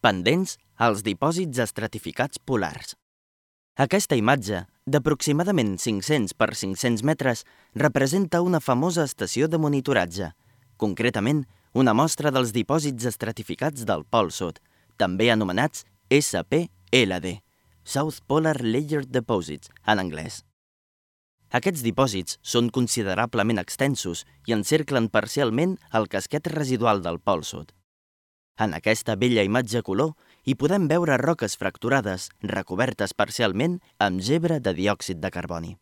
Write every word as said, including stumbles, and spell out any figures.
pendents als dipòsits estratificats polars. Aquesta imatge, d'aproximadament cinc-cents per cinc-cents metres, representa una famosa estació de monitoratge, concretament una mostra dels dipòsits estratificats del Pol Sud, també anomenats S P L D, South Polar Layered Deposits, en anglès. Aquests dipòsits són considerablement extensos i encerclen parcialment el casquet residual del Pol Sud. En aquesta bella imatge color hi podem veure roques fracturades recobertes parcialment amb gebre de diòxid de carboni.